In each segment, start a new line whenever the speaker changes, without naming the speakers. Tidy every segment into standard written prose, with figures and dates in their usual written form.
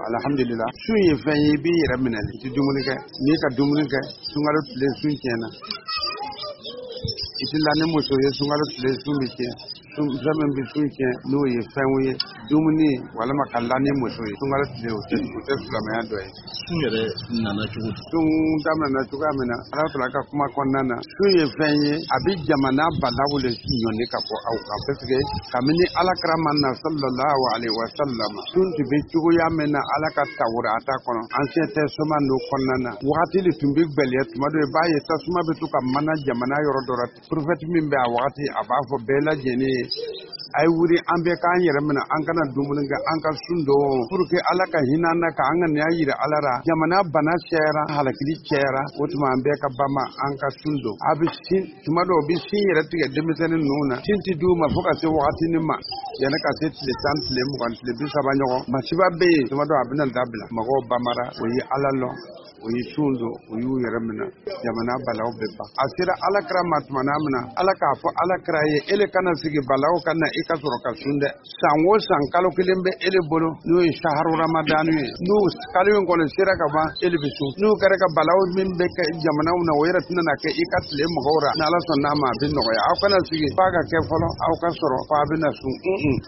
Alhamdulillah. Sun ye fɛn ye, i b'i yɛrɛ minɛ, i tɛ dumuni kɛ. N'i ka dumuni kɛ sunkalo tile, sun tiɲɛna. I tɛ la ni muso ye sunkalo tile, sun bɛ tiɲɛ. Fɛn min bɛ sun tiɲɛ, n'o ye fɛnw ye, dumuni walima ka la ni muso ye sunkalo tile, o tɛ silamɛya dɔ ye.
Sun yɛrɛ nana cogo di?
Sun daminɛna cogoya min na, Ala taala ka kuma kɔnɔna na, sun ye fɛn ye, a bɛ jamana balaw le ɲɔni ka bɔ aw kan, parce que kabini Ala kira ma na, sallallahu alaihi wa sallam, sun tun bɛ cogoya min na Ala ka Tawurata kɔnɔ, Ancien Testament n'o kɔnɔna na, wagati de tun bɛ gwɛlɛya. Tuma dɔ, i b'a ye tasuma bɛ to ka mana jamana yɔrɔ dɔ la. Prophète min bɛ a wagati, a b'a fɔ bɛɛ lajɛlen ye: a ye wuli, an bɛɛ k'an yɛrɛ minɛ, an kana dumuni kɛ, an ka sun don, pour que Ala ka hinɛ an na, k'an ka nin yira Ala la. Jamana bana cayara, halakili cayara, o tuma an bɛɛ ka bama, an ka sun don. A bɛ sin, tuma dɔw, u bɛ sin yɛrɛ tigɛ denmisɛnnin ninnu na, sin ti d'u ma fo ka se wagatinin ma, yanni ka se tile 10, tile 20, tile 30 ɲɔgɔn. Masiba bɛ yen, tuma dɔw a bɛna dabila. Mɔgɔw bamara, o ye Ala lɔn, o ye sun don, o y'u yɛrɛ minɛ, jamana balaw bɛ ban. A sera Ala kira ma tuma min na, Ala k'a fɔ Ala kira ye: ele kana sigi balaw ka na, i ka sɔrɔ ka sun dɛ. San o san, kalo kelen bɛ ele bolo, n'o ye saharu Ramadanu ye. N'o kalo in kɔni sera ka ban, ele bɛ sun. N'o kɛra ka balaw min bɛ kɛ jamanaw na, o yɛrɛ tɛna na kɛ i ka tile mɔgɔw ra. N'Ala sɔnna n'a ma, a bɛ nɔgɔya. Aw kana sigi f'a ka kɛ fɔlɔ, aw ka sɔrɔ f'a bɛna sun.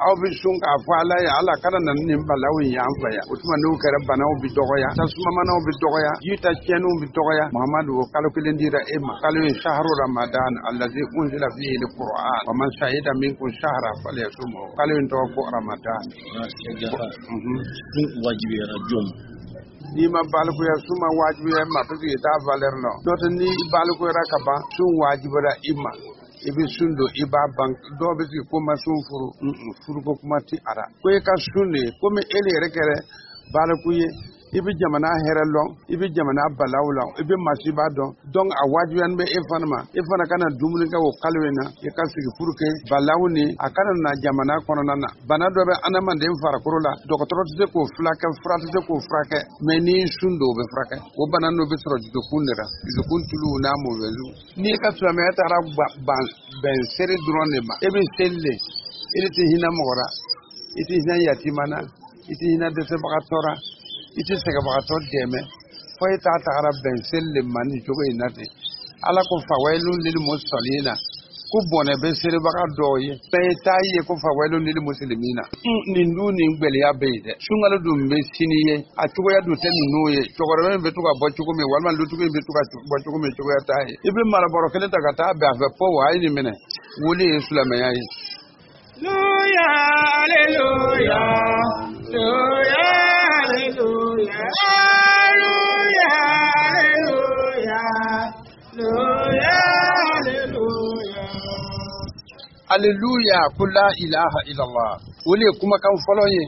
Aw bɛ sun k'a fɔ Ala ye: Ala kana na ni nin balaw in y'an fɛ yan. O tuma n'o kɛra, banaw bɛ dɔgɔya, tasumamanaw bɛ dɔgɔya, ji ta tiɲɛniw bɛ dɔgɔya. Muhamadu, o kalo kelen dira e ma, kalo ye shahru Ramadan allazi unzila fihi alquran wa man shahida minkum shahra falyasumhu. Kalo in tɔgɔ ko Ramadan.
Sun wajibiyara jɔn ma?
N'i ma balikuya, sun ma wajibiya i ma, parce que i t'a valeur lɔn. N'o tɛ, ni balikuyara ka ban, sun wajibiyara i ma, i bɛ sun don, i b'a ban. Dɔw bɛ sigi ko ma sun furu, furuko kuma ti a ra. Ko i ka sun de ye komi e de yɛrɛ kɛra baliku ye, i bɛ jamana hɛrɛ lɔn, i bɛ jamana balaw lɔn, i bɛ masiba dɔn. Donc a wajibiyani bɛ e fana ma, e fana kana dumuni kɛ o kalo in na, i ka sigi pour que balaw ni a kana na jamana kɔnɔna na. Bana dɔ bɛ adamaden farikolo la, dɔgɔtɔrɔ tɛ se k'o furakɛ, fura tɛ se k'o furakɛ, mais n'i sun don, o bɛ furakɛ. O bana n'o bɛ sɔrɔ dusukun de la, dusukun tulu n'a mɔwɛlu. N'i ka silamɛya taara ban bɛn seri dɔrɔn de ma, e bɛ seli de, e de tɛ hinɛ mɔgɔ la, i tɛ hinɛ yatima na, i tɛ hinɛ dɛsɛbagatɔ la, i tɛ sɛgɛbagatɔ dɛmɛ, fo e t'a tagara bɛn seli de ma nin cogo in na ten. Ala ko fawayilun lil musallina, ko bɔnɛ bɛ seribaga dɔw ye. Bɛɛ ye taa ye ko fawayilun lil muslimina. Nin dun, nin gwɛlɛya bɛ yen dɛ. Sunkalo dun bɛ sini ye, a cogoya dun tɛ ninnu ye. Cɛkɔrɔba in bɛ to ka bɔ cogo min, walima dutigi in bɛ to ka bɔ cogo min, cogoya t'a ye. I bɛ marabɔrɔ kelen ta ka taa bɛn a fɛ fo wa a ye nin minɛ, wuli ye silamɛya ye.
Alléluia, Alléluia, Alléluia, Alléluia, Alléluia, Alléluia, Alléluia, Alléluia.
Aleluya, ko la ilaha illallah, o de ye kumakan fɔlɔ ye.